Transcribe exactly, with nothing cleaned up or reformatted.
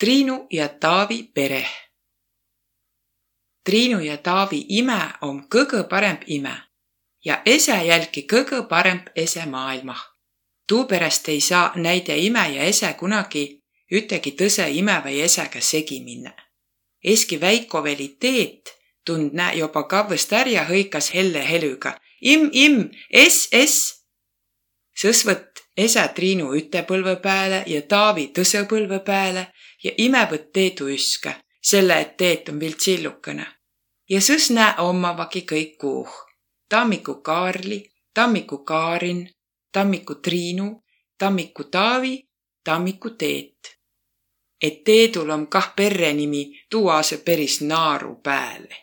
Triinu ja Taavi pereh. Triinu ja Taavi imä om kõgõ paremb imä ja esä jälki kõgõ paremb esä maailmah. Tuuperäst ei saa näide imä ja esä kunagi üttegi tõsõ imä vai esäga segi minnä. Eski väikoveli Teet tund nä joba kavvõst är ja hõikas helle helüga: Im, im, es, es! Sõs võtt esä Triinu üte põlvõ pääle ja Taavi tõsõ põlvõ pääle ja imä võtt Teedu üskä, selle et Teet om viil tsillukõnõ. Ja sõs nä ommavagi kõik kuuh: Tammiku Kaarli, Tammiku Kaarin, Tammiku Triinu, Tammiku Taavi, Tammiku Teet. Et Teedul om kah perrenimi, tuu aasõ peris naaru pääle.